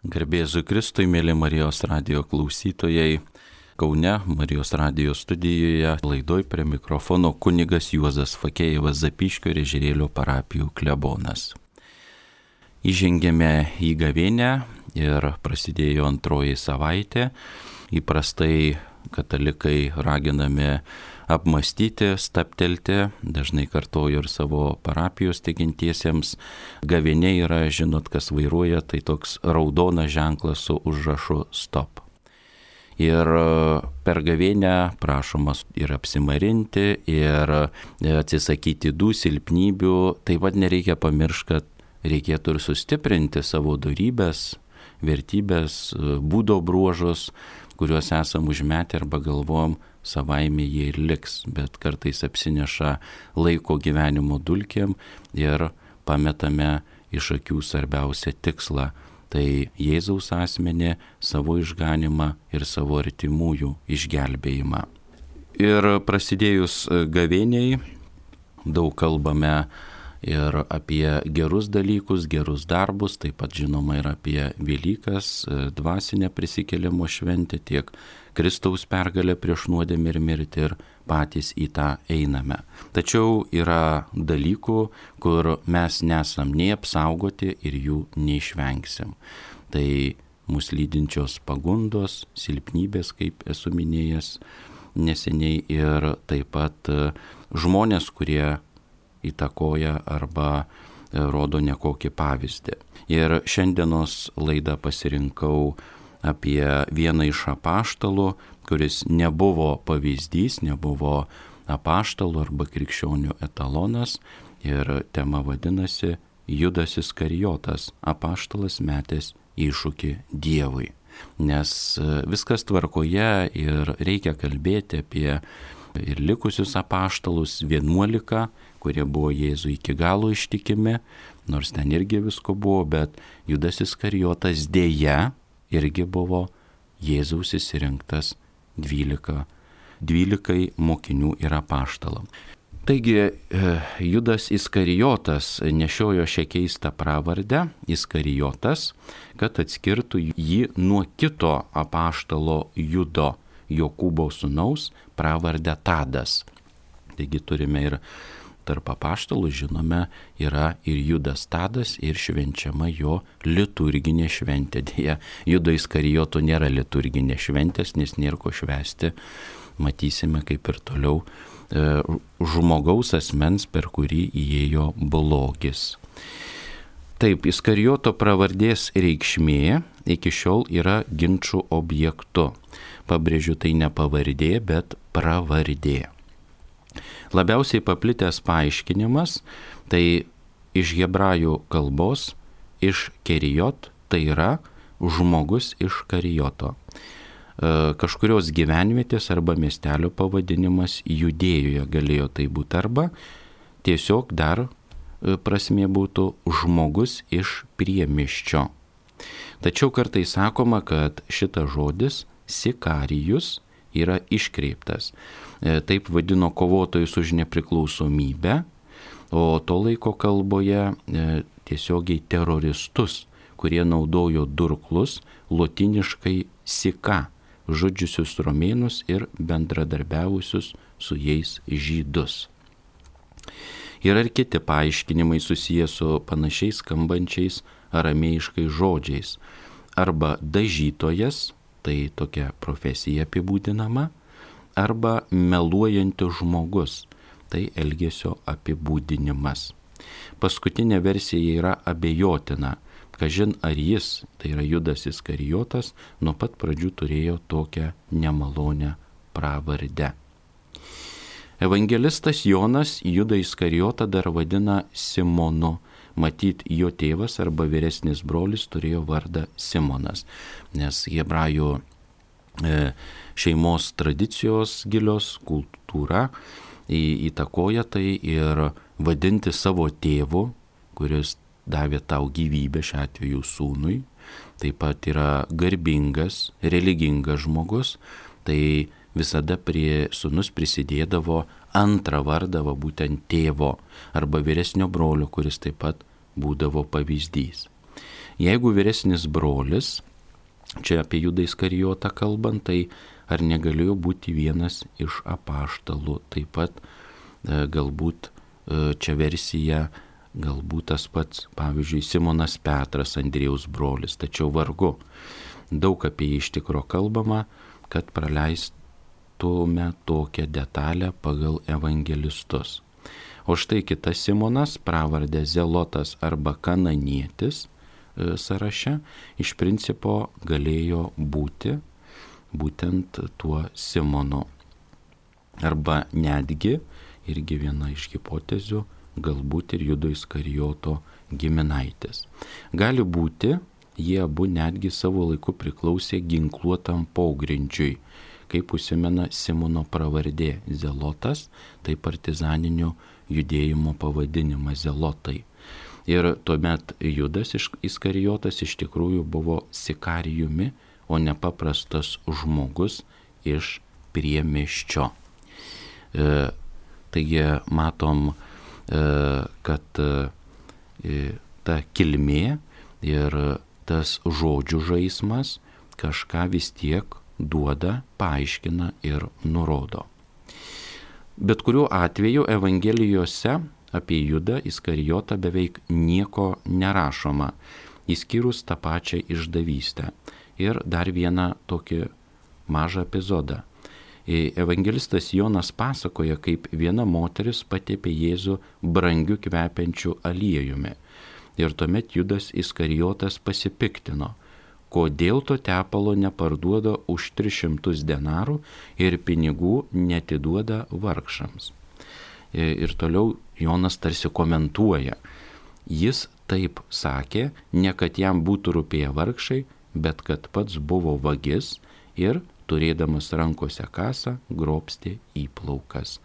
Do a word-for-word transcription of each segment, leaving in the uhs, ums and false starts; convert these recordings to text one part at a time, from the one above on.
Garbėzu Kristui, mėly Marijos radijo klausytojai. Kaune, Marijos radijo studijoje, laidoj prie mikrofono kunigas Juozas Fakėjevas, Zapyškio ir Ežerėlio parapijų klebonas. Įžengėme į gavėnią ir prasidėjo antroji savaitė. Įprastai katalikai raginami apmastyti, staptelti, dažnai kartoju ir savo parapijos tikintiesiems. Gavėnė yra, žinot, kas vairuoja, tai toks raudonas ženklas su užrašu stop. Ir per gavėnę prašomas ir apsimarinti, ir atsisakyti tų silpnybių. Taip pat nereikia pamiršti, kad reikėtų ir sustiprinti savo dorybės, vertybės, būdo bruožus, kuriuos esam užmetę arba galvojam, savaime jie ir liks, bet kartais apsineša laiko gyvenimo dulkėm ir pametame iš akių svarbiausią tikslą. Tai Jėzaus asmenį, savo išganimą ir savo artimųjų išgelbėjimą. Ir prasidėjus gavėniai daug kalbame ir apie gerus dalykus, gerus darbus, taip pat žinoma ir apie Velykas, dvasinę prisikėlimo šventę, tiek Kristaus pergalę prieš nuodėmę ir mirtį, ir patys į tą einame. Tačiau yra dalykų, kur mes nesam nei apsaugoti ir jų neišvengsim. Tai mūsų lydinčios pagundos, silpnybės, kaip esu minėjęs neseniai, ir taip pat žmonės, kurie įtakoja arba rodo nekokį pavyzdį. Ir šiandienos laidą pasirinkau apie vieną iš apaštalų, kuris nebuvo pavyzdys, nebuvo apaštalų arba krikščionių etalonas, ir tema vadinasi Judas Iskarijotas, apaštalas metęs iššūkį Dievui. Nes viskas tvarkoje ir reikia kalbėti apie ir likusius apaštalus, vienuolika, kurie buvo Jėzui iki galo ištikimi, nors ten irgi visko buvo, bet Judas Iskarijotas dėja irgi buvo Jėzaus išsirinktas dvylika, dvylikai mokinių ir apaštalam. Taigi Judas Iskarijotas nešiojo šią keistą pravardę, Iskarijotas, kad atskirtų jį nuo kito apaštalo Judo, Jokūbo sūnaus, pravardę Tadas. Taigi turime ir tarp apaštalų, žinome, yra ir Judas Tadas, ir švenčiama jo liturginė šventė. Deja, Judo Iskarijoto nėra liturginė šventės, nes nėra ko švęsti. Matysime, kaip ir toliau e, žmogaus asmens, per kurį įėjo blogis. Taip, Iskarijoto pravardės reikšmė iki šiol yra ginčų objektu. Pabrėžiu, tai ne pavardė, bet pravardė. Labiausiai paplitęs paaiškinimas, tai iš hebrajų kalbos, iš kerijot, tai yra žmogus iš Karijoto. E, kažkurios gyvenvietės arba miestelio pavadinimas Judėjoje galėjo tai būti, arba tiesiog dar prasmė būtų žmogus iš priemiščio. Tačiau kartais sakoma, kad šitas žodis sikarijus yra iškreiptas. Taip vadino kovotojus už nepriklausomybę, o to laiko kalboje tiesiogiai teroristus, kurie naudojo durklus, lotiniškai sika, žudžiusius romėnus ir bendradarbiavusius su jais žydus. Yra ir kiti paaiškinimai susiję su panašiais skambančiais aramėjiškais žodžiais. Arba dažytojas, tai tokia profesija apibūdinama, arba meluojantis žmogus, tai elgesio apibūdinimas. Paskutinė versija yra abejotina, kažin ar jis, tai yra Judas Iskarijotas, nuo pat pradžių turėjo tokią nemalonę pravardę. Evangelistas Jonas Judą Iskarijotą dar vadina Simonu. Matyt, jo tėvas arba vyresnis brolis turėjo vardą Simonas, nes hebrajų e, šeimos tradicijos gilios kultūra įtakoja tai, ir vadinti savo tėvu, kuris davė tau gyvybę, šiuo atveju sūnui, taip pat yra garbingas, religingas žmogus, tai visada prie sūnus prisidėdavo antrą vardą, va, būtent tėvo arba vyresnio brolio, kuris taip pat būdavo pavyzdys. Jeigu vyresnis brolis, čia apie Judą Iskarijotą kalbant, tai ar negalėjo būti vienas iš apaštalų? Taip pat e, galbūt e, čia versija, galbūt tas pats, pavyzdžiui, Simonas Petras, Andriejaus brolis, tačiau vargu. Daug apie jį iš tikro kalbama, kad praleistume tokią detalę pagal evangelistus. O štai kitas Simonas, pravardė Zelotas arba Kananietis e, sąraše, iš principo galėjo būti būtent tuo Simonu. Arba netgi, irgi viena iš hipotezių, galbūt ir Judo Iskarijoto giminaitis. Gali būti, jie abu netgi savo laiku priklausė ginkluotam pogrindžiui, kaip užsimena Simono pravardė Zelotas, tai partizaninio judėjimo pavadinimas Zelotai. Ir tuomet Judas Iskarijotas iš tikrųjų buvo sikarijumi, o ne paprastas žmogus iš priemiesčio. E, taigi matom, e, kad e, ta kilmė ir tas žodžių žaismas kažką vis tiek duoda, paaiškina ir nurodo. Bet kuriuo atveju Evangelijose apie Judą Iskarijotą beveik nieko nerašoma, išskyrus tą pačią išdavystę. Ir dar vieną tokį mažą epizodą. Evangelistas Jonas pasakoja, kaip viena moteris patepė Jėzų brangiu kvepiančiu aliejumi. Ir tuomet Judas Iskarijotas pasipiktino, kodėl to tepalo neparduoda už tris šimtus denarų ir pinigų netiduoda vargšams. Ir toliau Jonas tarsi komentuoja. Jis taip sakė, ne kad jam būtų rūpėję vargšai, bet kad pats buvo vagis ir, turėdamas rankose kasą, grobstė įplaukas.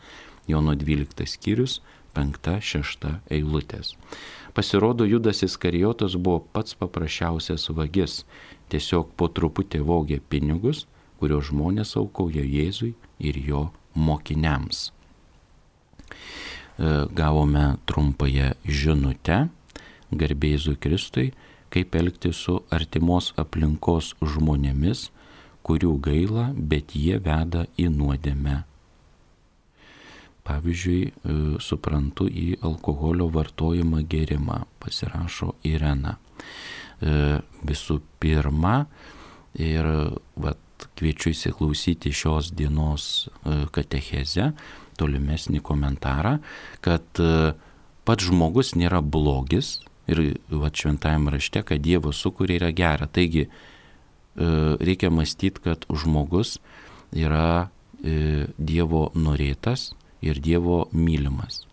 Jono dvyliktas skyrius, penkta, šešta eilutės. Pasirodo, Judas Iskarijotas buvo pats paprasčiausias vagis, tiesiog po truputį vogė pinigus, kuriuos žmonės aukojo Jėzui ir jo mokiniams. Gavome trumpąją žinutę, garbė Jėzui Kristui, kaip elgtis su artimos aplinkos žmonėmis, kurių gaila, bet jie veda į nuodėmę. Pavyzdžiui, suprantu į alkoholio vartojimą gėrimą, pasirašo Irena. Visų pirma, ir vat, kviečiu įsiklausyti šios dienos katechezę, tolimesnį komentarą, kad pats žmogus nėra blogis ir vat, šventajame rašte, kad Dievo sukūrė yra gera. Taigi reikia mąstyti, kad žmogus yra Dievo norėtas ir Dievo mylimas.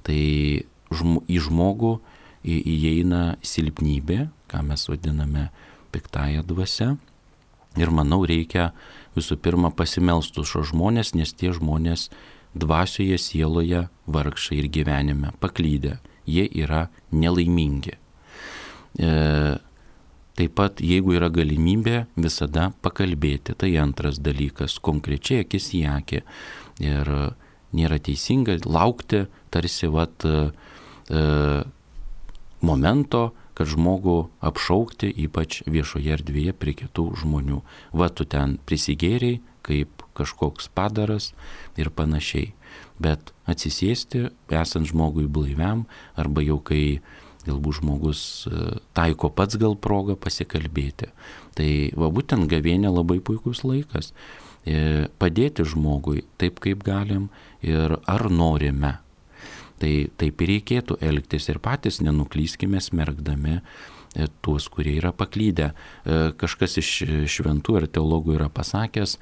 Tai į žmogų įeina silpnybė, ką mes vadiname piktąja dvasia. Ir manau, reikia visų pirma pasimelsti už šios žmonės, nes tie žmonės dvasioje, sieloje, vargšai ir gyvenime paklydę. Jie yra nelaimingi. E, taip pat, jeigu yra galimybė, visada pakalbėti. Tai antras dalykas, konkrečiai akis į akį. Ir nėra teisinga laukti tarsi vat, e, momento, kad žmogų apšaukti, ypač viešoje erdvėje prie kitų žmonių. Va, tu ten prisigėriai, kaip kažkoks padaras ir panašiai. Bet atsisėsti, esant žmogui blaiviam, arba jau kai galbūt žmogus taiko pats gal progą pasikalbėti. Tai va, būtent gavėnia labai puikus laikas. Padėti žmogui taip, kaip galim ir ar norime. Tai taip ir reikėtų elgtis ir patys nenuklyskime smerkdami tuos, kurie yra paklydę. Kažkas iš šventų ir teologų yra pasakęs,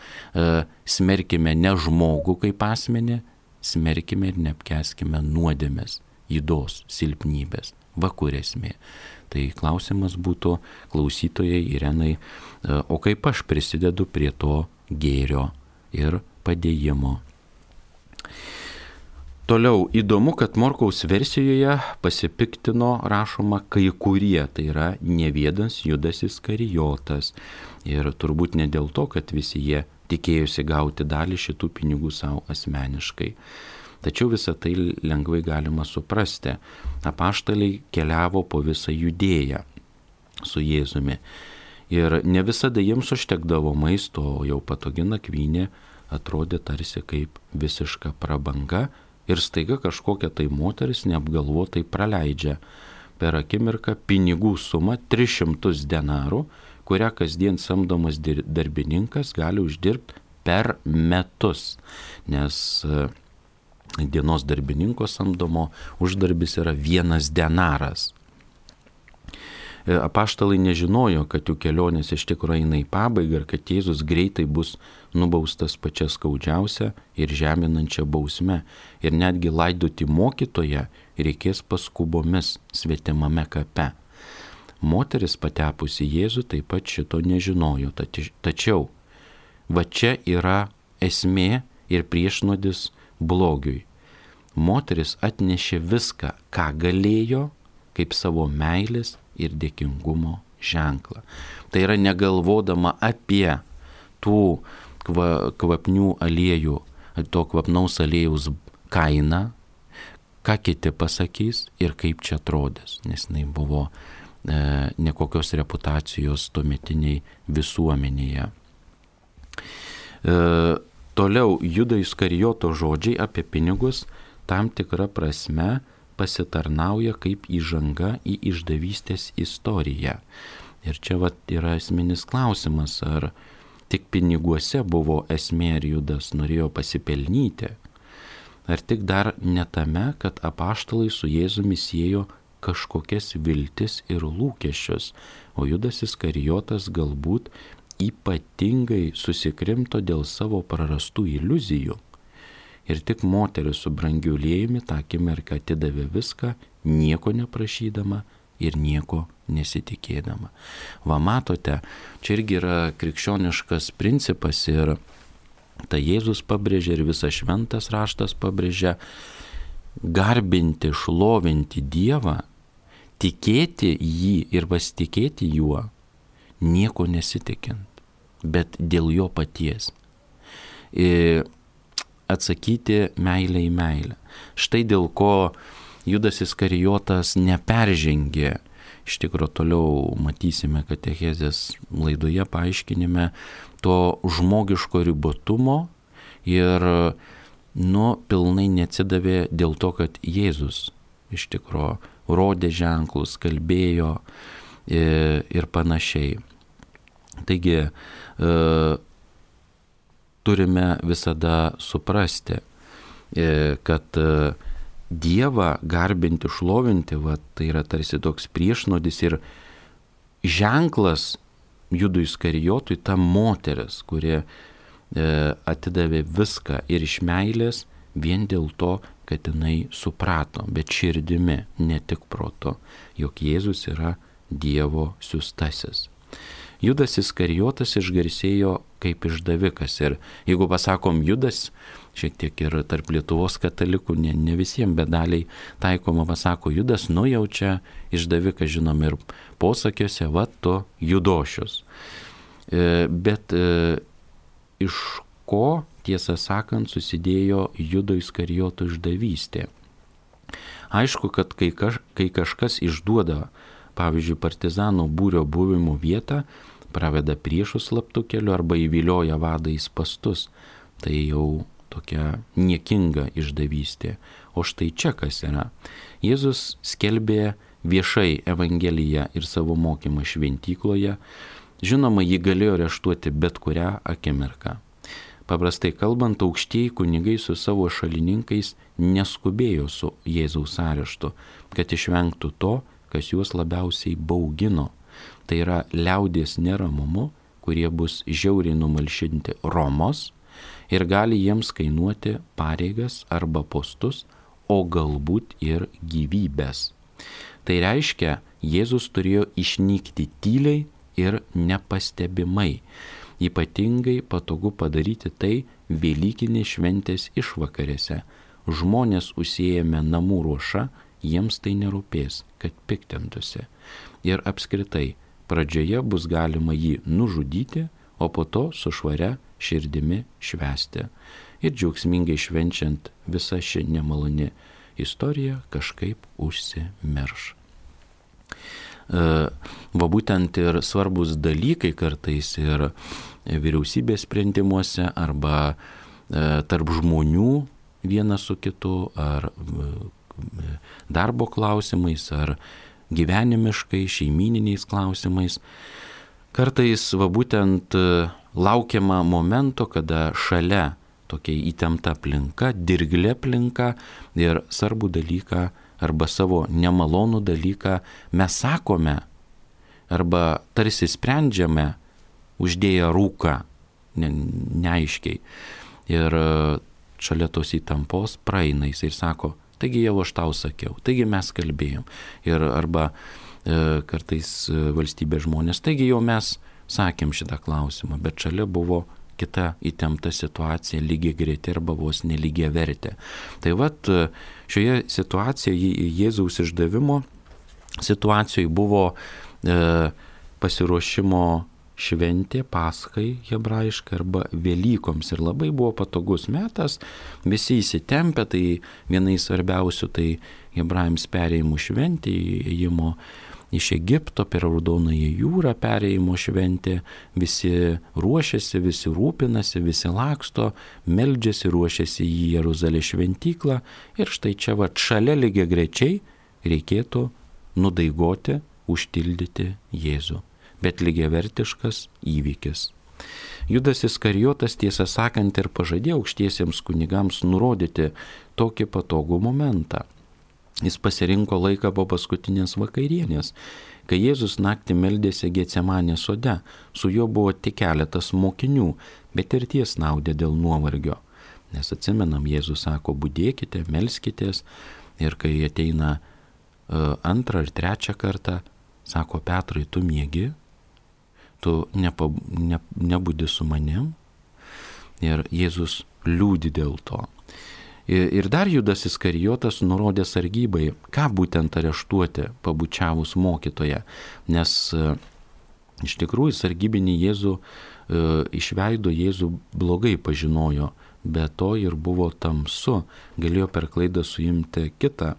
smerkime ne žmogų kaip asmenį, smerkime ir neapkęskime nuodėmės, ydos, silpnybės, va kur esmė. Tai klausimas būtų klausytojai Irenai, o kaip aš prisidedu prie to gėrio ir padėjimo. Toliau įdomu, kad Morkaus versijoje pasipiktino rašoma kai kurie, tai yra ne vienas Judas Iskarijotas. Ir turbūt ne dėl to, kad visi jie tikėjosi gauti dalį šitų pinigų savo asmeniškai. Tačiau visą tai lengvai galima suprasti. Apaštaliai keliavo po visą Judėją. su Jėzumi. Ir ne visada jiems užtekdavo maisto, o jau patogi nakvynė atrodė tarsi kaip visiška prabanga ir staiga kažkokia tai moteris neapgalvotai praleidžia per akimirką pinigų sumą tris šimtus denarų, kurią kasdien samdomas darbininkas gali uždirbti per metus, nes dienos darbininko samdomo uždarbis yra vienas denaras. Apaštalai nežinojo, kad jų kelionės iš tikrųjų eina į pabaigą ir kad Jėzus greitai bus nubaustas pačia skaudžiausia ir žeminančia bausme. Ir netgi laidoti mokytoją reikės paskubomis svetimame kape. Moteris patepusi Jėzų taip pat šito nežinojo. Tačiau va čia yra esmė ir priešnuodis blogiui. Moteris atnešė viską, ką galėjo, kaip savo meilės ir dėkingumo ženklą. Tai yra negalvodama apie tų kvapnių aliejų, to kvapnaus aliejaus kainą, ką kiti pasakys ir kaip čia atrodys, nes jinai buvo e, nekokios reputacijos tuometiniai visuomenėje. E, toliau Judo Iskarijoto žodžiai apie pinigus tam tikra prasme pasitarnauja kaip įžanga į išdavystės istoriją. Ir čia vat yra esminis klausimas, ar tik piniguose buvo esmė ir Judas norėjo pasipelnyti, ar tik dar ne tame, kad apaštalai su Jėzumi siejo kažkokias viltis ir lūkesčius, o Judas Iskarijotas galbūt ypatingai susikrimto dėl savo prarastų iliuzijų. Ir tik moteris su brangiu aliejumi tą akimirką atidavė viską, nieko neprašydama ir nieko nesitikėdama. Va matote, čia irgi yra krikščioniškas principas ir tai Jėzus pabrėžia ir visas šventas raštas pabrėžia, garbinti, šlovinti Dievą, tikėti jį ir pasitikėti juo, nieko nesitikint, bet dėl jo paties. Ir atsakyti meilę į meilę. Štai dėl ko Judas Iskarijotas neperžengė. Iš tikrųjų toliau matysime katechezės laidoje paaiškinime to žmogiško ribotumo ir nu, pilnai neatsidavė dėl to, kad Jėzus iš tikrųjų rodė ženklus, kalbėjo ir panašiai. Taigi, turime visada suprasti, kad Dievą garbinti, šlovinti, va, tai yra tarsi toks priešnodis ir ženklas Judui Iskarijotui ta moteris, kuri atidavė viską ir iš meilės vien dėl to, kad jinai suprato, bet širdimi, ne tik protu, jog Jėzus yra Dievo siųstasis. Judas Iskarijotas išgarsėjo kaip išdavikas ir jeigu pasakom Judas, šiek tiek ir tarp Lietuvos katalikų, ne, ne visiems, bet daliai taikoma pasako Judas, nujaučia išdavikas, žinom ir posakiuose, va tu Judošius. E, bet e, iš ko, tiesą sakant, susidėjo Judo Iskarijoto išdavystė? Aišku, kad kai, kaž, kai kažkas išduoda, pavyzdžiui, partizanų būrio buvimo vietą, praveda priešų slaptų keliu arba įvilioja vadą į spastus, tai jau tokia niekinga išdavystė. O štai čia kas yra. Jėzus skelbė viešai Evangeliją ir savo mokymą šventykloje. Žinoma, jį galėjo areštuoti bet kurią akimirką. Paprastai kalbant, aukštieji kunigai su savo šalininkais neskubėjo su Jėzaus areštu, kad išvengtų to, kas juos labiausiai baugino. Tai yra liaudies neramumu, kurie bus žiauriai numalšinti Romos ir gali jiems kainuoti pareigas arba postus, o galbūt ir gyvybės. Tai reiškia, Jėzus turėjo išnykti tyliai ir nepastebimai. Ypatingai patogu padaryti tai Velykinės šventės išvakarėse. Žmonės užsiėmę namų ruošą, jiems tai nerūpės, kad piktintųsi. Ir apskritai, pradžioje bus galima jį nužudyti, o po to su švaria širdimi švęsti. Ir džiaugsmingai švenčiant visa ši nemaloni istorija kažkaip užsimirš. va būtent ir svarbus dalykai kartais ir vyriausybės sprendimuose arba tarp žmonių vienas su kitu, ar darbo klausimais, ar gyvenimiškai, šeimyniniais klausimais. Kartais va būtent laukiama momento, kada šalia tokia įtempta aplinka, dirglė aplinka ir svarbų dalyką arba savo nemalonų dalyką mes sakome arba tarsi sprendžiame uždėję rūką, ne, neaiškiai. Ir šalia tos įtampos praeina jis ir sako, taigi jau aš tau sakiau, taigi mes kalbėjom. Ir arba e, kartais valstybės žmonės, taigi jau mes sakėm šitą klausimą, bet šalia buvo kita įtempta situacija, lygiai greitė arba vos nelygiai vertė. Tai vat šioje situacijoje, Jėzaus išdavimo situacijoje buvo e, pasiruošimo šventė, Paschai hebrajiškai arba Velykoms ir labai buvo patogus metas, visi įsitempę, tai vienai svarbiausių tai hebrajams perėjimų šventė, įėjimo iš Egipto per Raudonąją jūrą perėjimo šventė, visi ruošiasi, visi rūpinasi, visi laksto, meldžiasi, ruošiasi į Jeruzalės šventyklą ir štai čia va šalia lygiai grečiai reikėtų nudaigoti, užtildyti Jėzų. Bet lygiavertiškas įvykis. Judas Iskarijotas, tiesą sakant, ir pažadėjo aukštiesiems kunigams nurodyti tokį patogų momentą. Jis pasirinko laiką po paskutinės vakarienės, kai Jėzus naktį meldėsi Getsemanės sode. Su juo buvo tik keletas mokinių, bet ir tie snaudė dėl nuovargio. Nes atsimenam, Jėzus sako, budėkite, melskitės, ir kai ateina uh, antrą ar trečią kartą, sako, Petrai, tu miegi, tu nepa, ne, nebudi su manim, ir Jėzus liūdi dėl to. Ir dar Judas Iskarijotas nurodė sargybai, ką būtent areštuoti pabučiavus mokytoją, nes e, iš tikrųjų sargybinį Jėzų e, iš veido Jėzų blogai pažinojo, be to ir buvo tamsu, galėjo per klaidą suimti kitą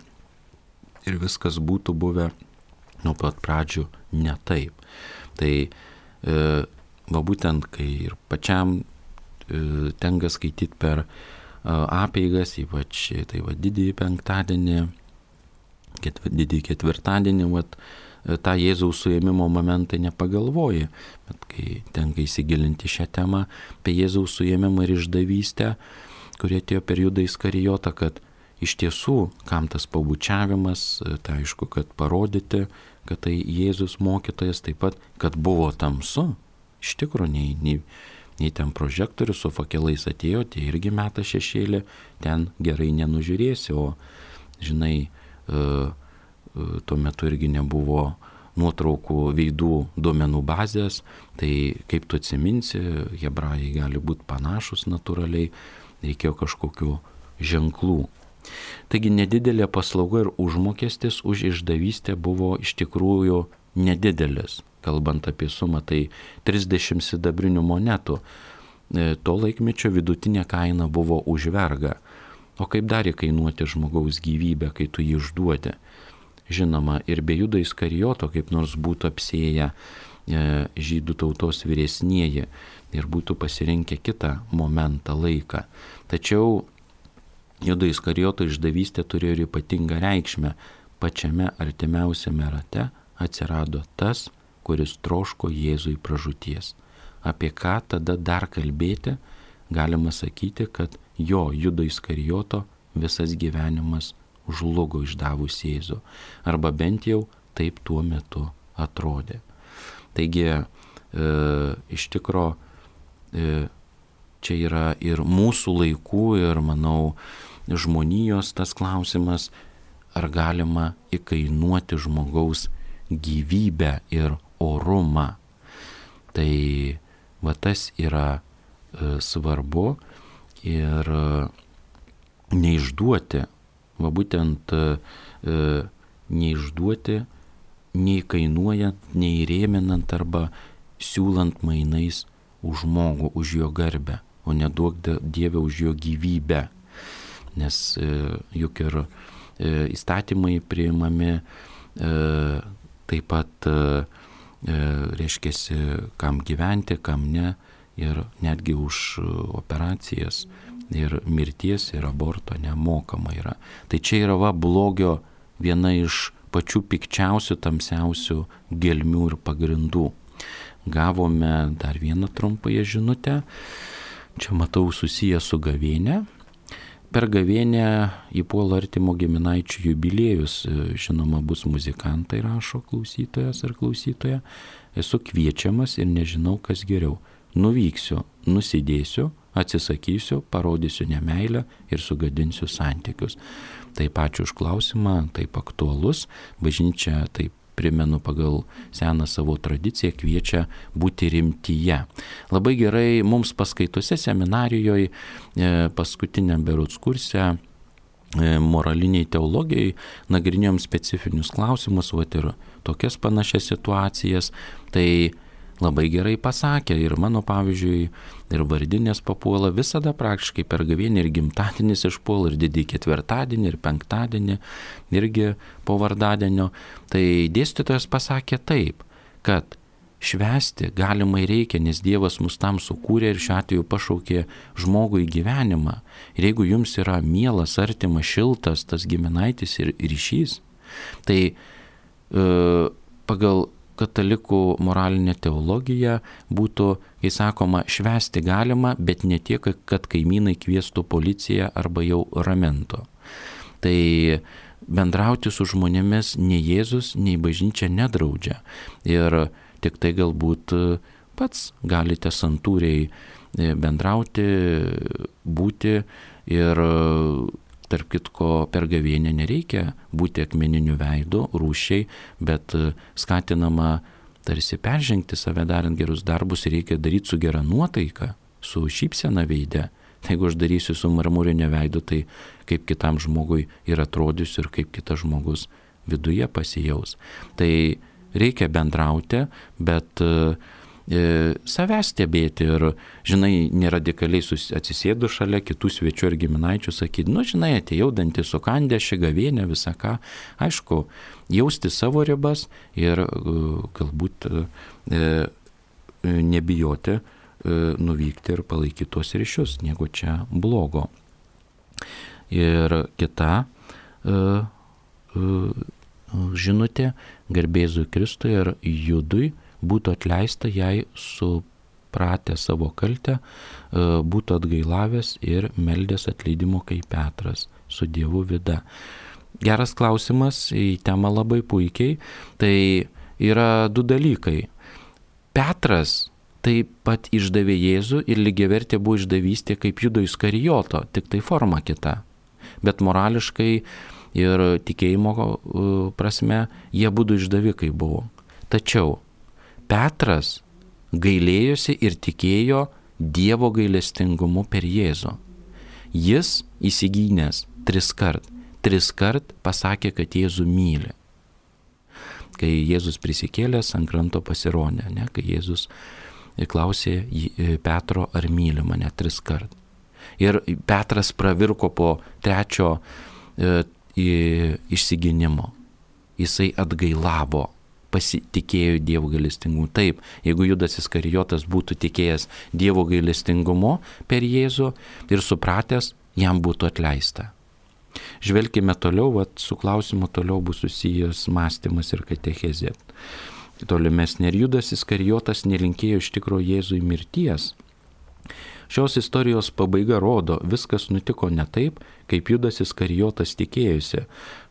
ir viskas būtų buvę nuo pat pradžių ne taip. Tai e, va būtent, kai ir pačiam e, tenka skaityti per apeigas, ypač tai va didįjį penktadienį, ketv, didįjį ketvirtadienį, va, tą Jėzaus suėmimo momentą nepagalvoji, bet kai tenka įsigilinti šią temą apie Jėzaus suėmimą ir išdavystę, kurie atėjo per Judą Iskarijotą, kad iš tiesų, kam tas pabučiavimas, tai aišku, kad parodyti, kad tai Jėzus mokytojas, taip pat, kad buvo tamsu, iš tikrųjų, nei, nei Nei ten prožektorius su fakelais atėjo, tie irgi meta šešėlį, ten gerai nenužiūrėsi, o, žinai, e, e, tuo metu irgi nebuvo nuotraukų veidų duomenų bazės, tai kaip tu atsiminsi, hebrajai gali būti panašus natūraliai, reikėjo kažkokių ženklų. Taigi nedidelė paslauga ir užmokestis už išdavystę buvo iš tikrųjų nedidelis. Kalbant apie sumą, tai trisdešimt sidabrinių monetų. To laikmečio vidutinė kaina buvo už vergą. O kaip dar kainuoti žmogaus gyvybę, kai tu jį išduodi? Žinoma, ir be Judo Iskarijoto kaip nors būtų apsėję žydų tautos vyresnieji ir būtų pasirinkę kitą momentą, laiką. Tačiau Judo Iskarijoto išdavystė turėjo ir ypatingą reikšmę. Pačiame artimiausiame rate atsirado tas, kuris troško Jėzui pražūties. Apie ką tada dar kalbėti, galima sakyti, kad jo Judo Iskarijoto visas gyvenimas žlugo išdavus Jėzų. Arba bent jau taip tuo metu atrodė. Taigi, e, iš tikro, e, čia yra ir mūsų laikų, ir, manau, žmonijos tas klausimas, ar galima įkainuoti žmogaus gyvybę ir orumą. Tai va tas yra e, svarbu ir e, neišduoti, va būtent e, neišduoti, nei kainuojant, nei rėminant arba siūlant mainais už žmogų, už jo garbę, o neduok Dieve už jo gyvybę. Nes e, juk ir e, įstatymai priimami e, taip pat, e, reiškia, kam gyventi, kam ne, ir netgi už operacijas ir mirties ir aborto nemokama yra. Tai čia yra va blogio viena iš pačių pikčiausių, tamsiausių gelmių ir pagrindų. Gavome dar vieną trumpąją žinutę. Čia matau susiję su gavėne. Per gavėnę įpuola artimo giminaičių jubiliejus. Žinoma, bus muzikantai, rašo klausytojas ar klausytoja. Esu kviečiamas ir nežinau, kas geriau. Nuvyksiu, nusidėsiu, atsisakysiu, parodysiu nemeilę ir sugadinsiu santykius. Taip, ačiū už klausimą, taip aktualus. Bažnyčia, taip primenu, pagal seną savo tradiciją kviečia būti rimtyje. Labai gerai mums paskaitose seminarijoje, paskutiniam berods kurse, moraliniai teologijai, nagrinėjom specifinius klausimus, vat ir tokias panašias situacijas. Tai labai gerai pasakė ir mano, pavyzdžiui, ir vardinės papuola visada praktiškai per gavėnį, ir gimtadienis išpuola, ir didįjį ketvirtadienį, ir penktadienį, irgi po vardadienio. Tai dėstytojas pasakė taip, kad švęsti galimai reikia, nes Dievas mus tam sukūrė ir šiuo atveju pašaukė žmogų į gyvenimą. Ir jeigu jums yra mielas, artimas, šiltas tas giminaitis ir ryšys, tai e, pagal katalikų moralinė teologija būtų, kai sakoma, švęsti galima, bet ne tiek, kad kaimynai kviestų policiją arba jau ramentų. Tai bendrauti su žmonėmis nei Jėzus, nei bažnyčia nedraudžia. Ir tik tai galbūt pats galite santūriai bendrauti, būti ir tarp kitko, per gavėnę nereikia būti akmeniniu veidu, rūšiai, bet skatinama tarsi peržengti save darant gerus darbus ir reikia daryti su gera nuotaika, su šypsena veide. Tai jeigu aš darysiu su marmurinio veidu, tai kaip kitam žmogui ir atrodysiu ir kaip kitas žmogus viduje pasijaus. Tai reikia bendrauti, bet E, savęs stebėti ir, žinai, neradikaliai atsisėdu šalia kitų svečių ir giminaičių, sakyti, nu, žinai, atėjau dantį sukandę, ši gavėnė, visą ką. Aišku, jausti savo ribas ir galbūt e, nebijoti e, nuvykti ir palaikyti tuos ryšius, negu čia blogo. Ir kita e, e, žinutė, garbėzui Kristui ir Judui būtų atleista, jei supratę savo kaltę, būtų atgailavęs ir meldęs atleidimo kaip Petras su Dievu vida. Geras klausimas, į temą labai puikiai. Tai yra du dalykai. Petras taip pat išdavė Jėzų ir lygiavertė buvo išdavystė kaip Judo Iskarijoto, tik tai forma kita. Bet morališkai ir tikėjimo prasme jie būtų išdavikai buvo. Tačiau Petras gailėjosi ir tikėjo Dievo gailestingumu per Jėzų. Jis įsigynęs tris kart, tris kart pasakė, kad Jėzų myli. Kai Jėzus prisikėlęs ant kranto pasirodė, ne, kai Jėzus klausė Petro, ar myli mane, tris kart. Ir Petras pravirko po trečio e, išsigynimo. Jisai atgailavo. Pasitikėjo Dievo gailestingumu. Taip, jeigu Judas Iskarijotas būtų tikėjęs Dievo gailestingumu per Jėzų ir supratęs, jam būtų atleista. Žvelkime toliau, vat, su klausimu toliau bus susijęs mąstymas ir katechezė. Tolimesnė, ir Judas Iskarijotas nelinkėjo iš tikro Jėzui mirties. Šios istorijos pabaiga rodo, viskas nutiko ne taip, kaip Judas Iskarijotas tikėjosi.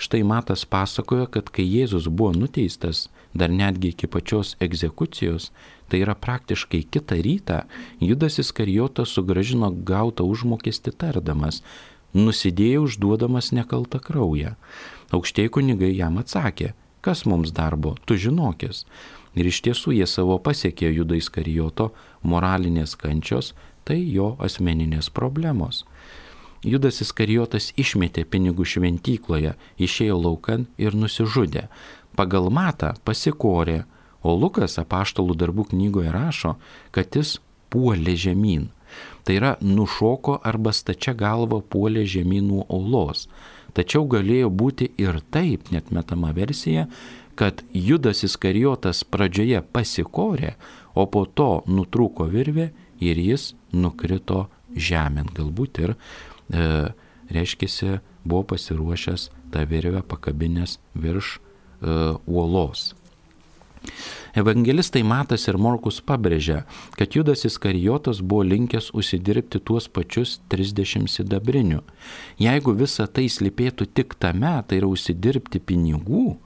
Štai Matas pasakoja, kad kai Jėzus buvo nuteistas, dar netgi iki pačios egzekucijos, tai yra praktiškai kitą rytą, Judas Iskarijotas sugrąžino gautą užmokestį tardamas, nusidėjo užduodamas nekaltą kraują. Aukštieji kunigai jam atsakė, kas mums darbo, tu žinokis. Ir iš tiesų jie savo pasiekė Judo Iskarijoto moralinės kančios, tai jo asmeninės problemos. Judas Iskarijotas išmetė pinigų šventykloje, išėjo laukan ir nusižudė. Pagal Matą pasikorė, o Lukas apaštalų darbų knygoje rašo, kad jis puolė žemyn. Tai yra nušoko arba stačia galva puolė žemyn nuo uolos. Tačiau galėjo būti ir taip, net metama versija, kad Judas Iskarijotas pradžioje pasikorė, o po to nutrūko virvė ir jis nukrito žemėn. Galbūt ir, e, reiškia, buvo pasiruošęs tą virvę pakabinės virš e, uolos. Evangelistai Matas ir Morkus pabrėžia, kad Judas Iskarijotas buvo linkęs užsidirbti tuos pačius trisdešimt sidabrinių. Jeigu visa tai slypėtų tik tame, tai yra užsidirbti pinigų,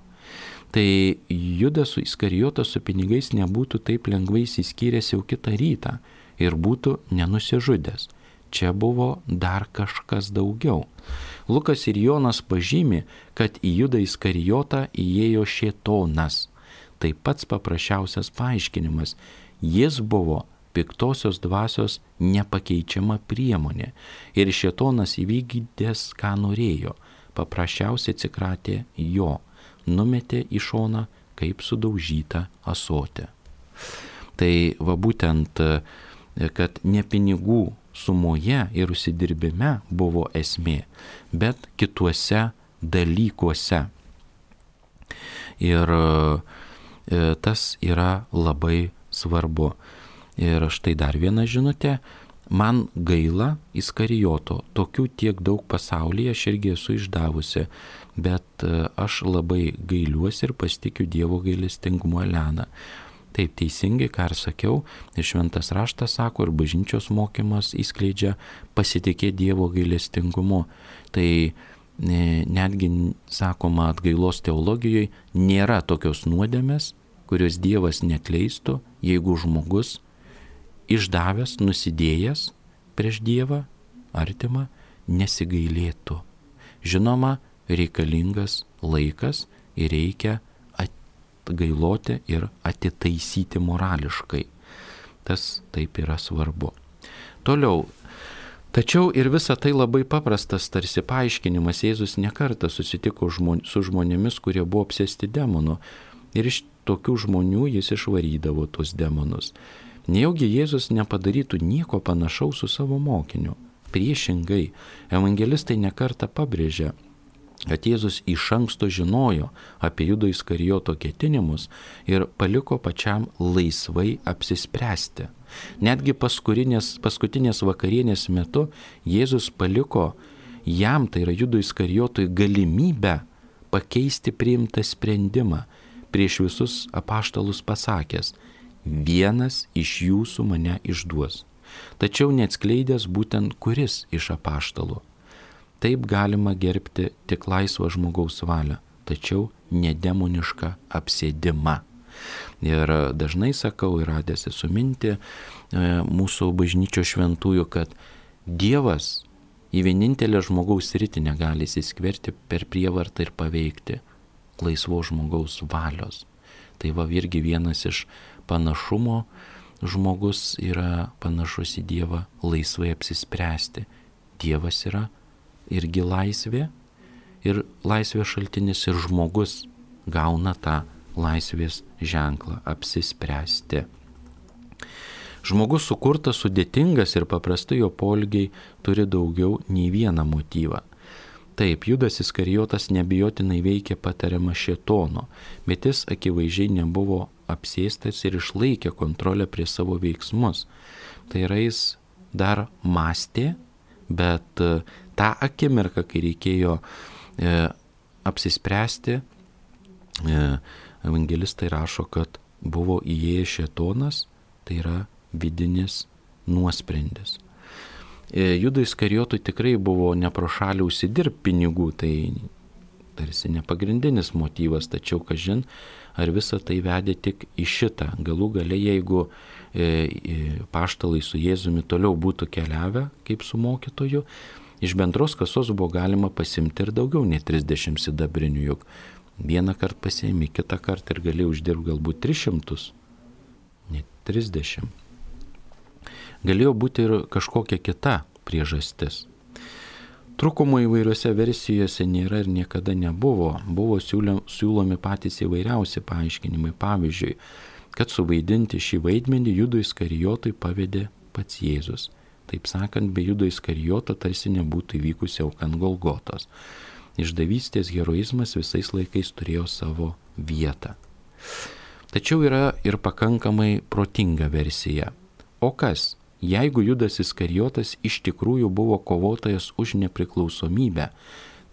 tai Judas Iskarijotas su pinigais nebūtų taip lengvai įsiskyręs jau kitą rytą ir būtų nenusižudęs. Čia buvo dar kažkas daugiau. Lukas ir Jonas pažymi, kad į Judą Iskarijotą įėjo šėtonas. Tai pats paprasčiausias paaiškinimas. Jis buvo piktosios dvasios nepakeičiama priemonė. Ir šėtonas įvykdęs, ką norėjo. Paprasčiausiai atsikratė jo. Numetė į šoną kaip sudaužytą ąsotį. Tai va būtent, kad ne pinigų sumoje ir užsidirbime buvo esmė, bet kituose dalykuose. Ir tas yra labai svarbu. Ir štai dar viena žinutė. Man gaila Iskarijoto. Tokių tiek daug pasaulyje, aš irgi esu išdavusi. Bet aš labai gailiuosi ir pasitikiu Dievo gailestingumu. Elena. Taip, teisingai, ką ir sakiau, ir šventas raštas sako, ir bažnyčios mokymas įskleidžia pasitikėti Dievo gailestingumu. Tai netgi, sakoma, atgailos teologijoje nėra tokios nuodėmės, kurios Dievas neatleistų, jeigu žmogus išdavęs, nusidėjęs prieš Dievą, artimą, nesigailėtų. Žinoma, reikalingas laikas ir reikia atgailoti ir atitaisyti morališkai. Tas taip yra svarbu. Toliau. Tačiau ir visa tai labai paprastas tarsi paaiškinimas. Jėzus nekartą susitiko žmon, su žmonėmis, kurie buvo apsėsti demonų. Ir iš tokių žmonių jis išvarydavo tos demonus. Nejaugi Jėzus nepadarytų nieko panašaus su savo mokiniu. Priešingai, evangelistai nekartą pabrėžia, kad Jėzus iš anksto žinojo apie Judo Iskarijoto ketinimus ir paliko pačiam laisvai apsispręsti. Netgi paskutinės, paskutinės vakarienės metu Jėzus paliko jam, tai yra Judo Iskarijotui, galimybę pakeisti priimtą sprendimą, prieš visus apaštalus pasakęs, vienas iš jūsų mane išduos. Tačiau neatskleidęs būtent kuris iš apaštalų. Taip galima gerbti tik laisvą žmogaus valią, tačiau nedemonišką apsėdimą. Ir dažnai sakau ir radęs esu mintį mūsų bažnyčios šventųjų, kad Dievas į vienintelę žmogaus sritį negali įsiskverti per prievartą ir paveikti laisvo žmogaus valios. Tai va irgi vienas iš panašumo, žmogus yra panašus į Dievą laisvai apsispręsti. Dievas yra irgi laisvė ir laisvės šaltinis ir žmogus gauna tą laisvės ženklą apsispręsti. Žmogus sukurtas sudėtingas ir paprastai jo poelgiai turi daugiau nei vieną motyvą. Taip, Judas Iskarijotas nebijotinai veikė patariamą šėtono, bet jis akivaizdžiai nebuvo apsėstas ir išlaikė kontrolę prie savo veiksmus. Tai yra, jis dar mąstė, bet tą akimirką, kai reikėjo e, apsispręsti, e, evangelistai rašo, kad buvo įėjęs šėtonas, tai yra vidinis nuosprendis. E, Judui Iskarijotui tikrai buvo ne pro šalį užsidirbti pinigų, tai tarsi nepagrindinis motyvas, tačiau kažin, ar visa tai vedė tik į šitą. Galų gale, jeigu e, e, paštalai su Jėzumi toliau būtų keliavę kaip su mokytoju, iš bendros kasos buvo galima pasimti ir daugiau nei trisdešimt sidabrinių, juk vieną kartą pasiėmė, kitą kartą ir galėjo uždirbti galbūt tris šimtus, ne trisdešimt. Galėjo būti ir kažkokia kita priežastis. Trūkumų įvairiose versijose nėra ir niekada nebuvo. Buvo siūlomi patys įvairiausi paaiškinimai. Pavyzdžiui, kad suvaidinti šį vaidmenį Judui Iskarijotui pavedė pats Jėzus. Taip sakant, be Judo Iskarijoto tarsi nebūtų įvykusi auka ant Golgotos. Išdavystės heroizmas visais laikais turėjo savo vietą. Tačiau yra ir pakankamai protinga versija. O kas, jeigu Judas Iskarijotas iš tikrųjų buvo kovotojas už nepriklausomybę,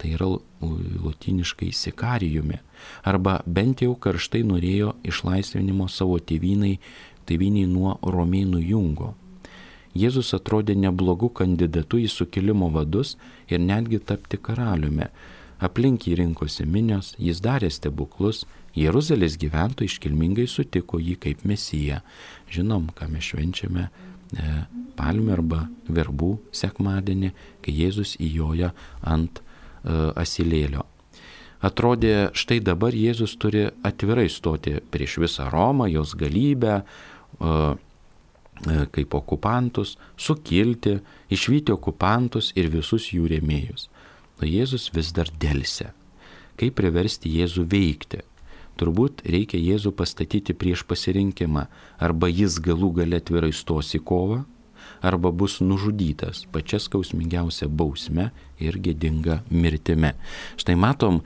tai yra lotyniškai sikarijumi, arba bent jau karštai norėjo išlaisvinimo savo tėvynai, tėvyniai nuo romėnų jungo. Jėzus atrodė neblogų kandidatų į sukilimo vadus ir netgi tapti karaliumi. Aplink jį rinkosi minios, jis darė stebuklus, Jeruzalės gyventojai iškilmingai sutiko jį kaip mesiją. Žinom, ką mes švenčiame e, palmių arba verbų sekmadienį, kai Jėzus įjoja ant e, asilėlio. Atrodė, štai dabar Jėzus turi atvirai stoti prieš visą Romą, jos galybę, e, e, kaip okupantus, sukilti, išvyti okupantus ir visus jų rėmėjus. O Jėzus vis dar delsia. Kaip priversti Jėzų veikti? Turbūt reikia Jėzų pastatyti prieš pasirinkimą. Arba jis galų gale atvirai stos į kovą, arba bus nužudytas pačia skausmingiausia bausme ir gėdinga mirtimi. Štai matom,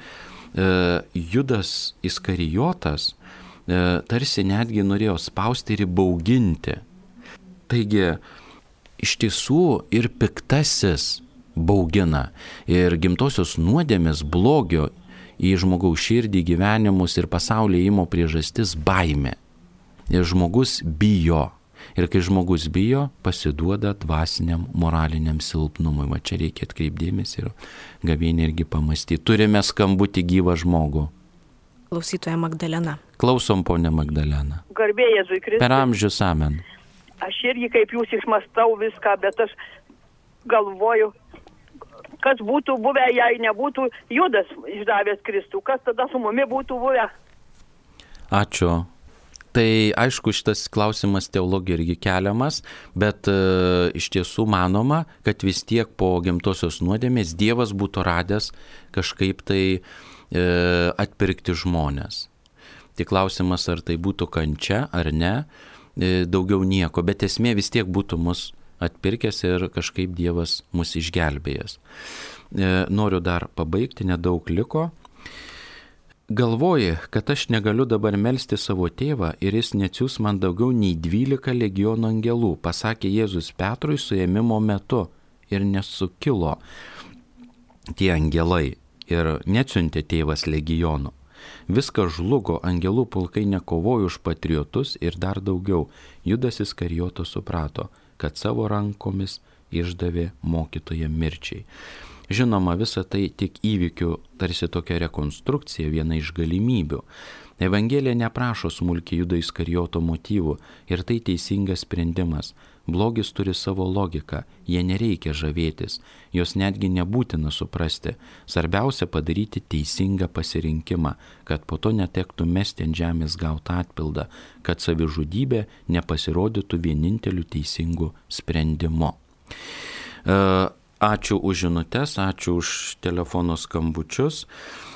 Judas Iskarijotas tarsi netgi norėjo spausti ir įbauginti. Taigi, iš tiesų ir piktasis baugina. Ir gimtosios nuodėmės blogio į žmogaus širdį, gyvenimus ir pasaulį įmo priežastis baimė. Ir žmogus bijo. Ir kai žmogus bijo, pasiduoda dvasiniam, moraliniam silpnumui. Va čia reikia atkreipdėmės ir gavėnį irgi pamastyti. Turime skambutį gyvą žmogų. Klausytoja Magdalena. Klausom, ponė Magdalena. Garbė Jėzui Kristui. Per amžius amen. Aš irgi kaip jūs išmastau viską, bet aš galvoju, kas būtų buvę, jei nebūtų Judas išdavęs Kristų, kas tada su mumi būtų buvę? Ačiū. Tai aišku, šitas klausimas teologija irgi keliamas, bet e, iš tiesų manoma, kad vis tiek po gimtosios nuodėmės Dievas būtų radęs kažkaip tai e, atpirkti žmones. Tik klausimas, ar tai būtų kančia ar ne, e, daugiau nieko, bet esmė vis tiek būtų mus atpirkęs ir kažkaip Dievas mus išgelbėjęs. E, noriu dar pabaigti, nedaug liko. Galvoji, kad aš negaliu dabar melsti savo tėvą ir jis neatsiųs man daugiau nei dvylika legionų angelų, pasakė Jėzus Petrui suėmimo metu ir nesukilo tie angelai ir neatsiuntė tėvas legionų. Viskas žlugo, angelų pulkai nekovojo už patriotus ir dar daugiau. Judas Iskarijotas suprato, kad savo rankomis išdavė mokytoją mirčiai. Žinoma, visa tai tik įvykių tarsi tokia rekonstrukcija, viena iš galimybių. Evangelija neprašo smulkiai Judo Iskarijoto motyvų ir tai teisingas sprendimas. Blogis turi savo logiką, jie nereikia žavėtis, jos netgi nebūtina suprasti. Svarbiausia padaryti teisingą pasirinkimą, kad po to netektų mesti ant žemės gautą atpildą, kad savižudybė nepasirodytų vieninteliu teisingu sprendimu. Ačiū už žinutes, ačiū už telefono skambučius.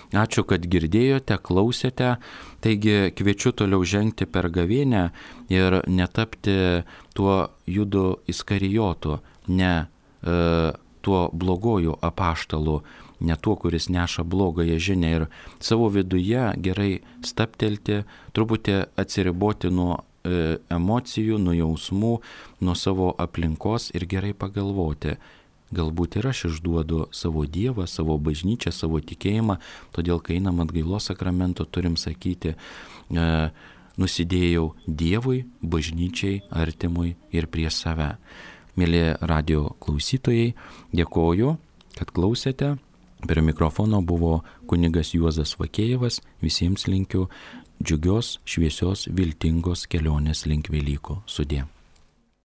Ačiū, kad girdėjote, klausėte. Taigi kviečiu toliau žengti per gavėnią ir netapti tuo Judu Iskarijotu, ne e, tuo blogoju apaštalu, ne tuo, kuris neša blogąją žinią ir savo viduje gerai staptelti, truputį atsiriboti nuo e, emocijų, nuo jausmų, nuo savo aplinkos ir gerai pagalvoti. Galbūt ir aš išduodu savo Dievą, savo bažnyčią, savo tikėjimą, todėl kai einam atgailos sakramento turim sakyti, e, nusidėjau Dievui, bažnyčiai, artimui ir prie save. Mėly radio klausytojai, dėkoju, kad klausėte. Prie mikrofono buvo kunigas Juozas Vakėjevas. Visiems linkiu džiugios, šviesios, viltingos kelionės link Velykų. Sudie.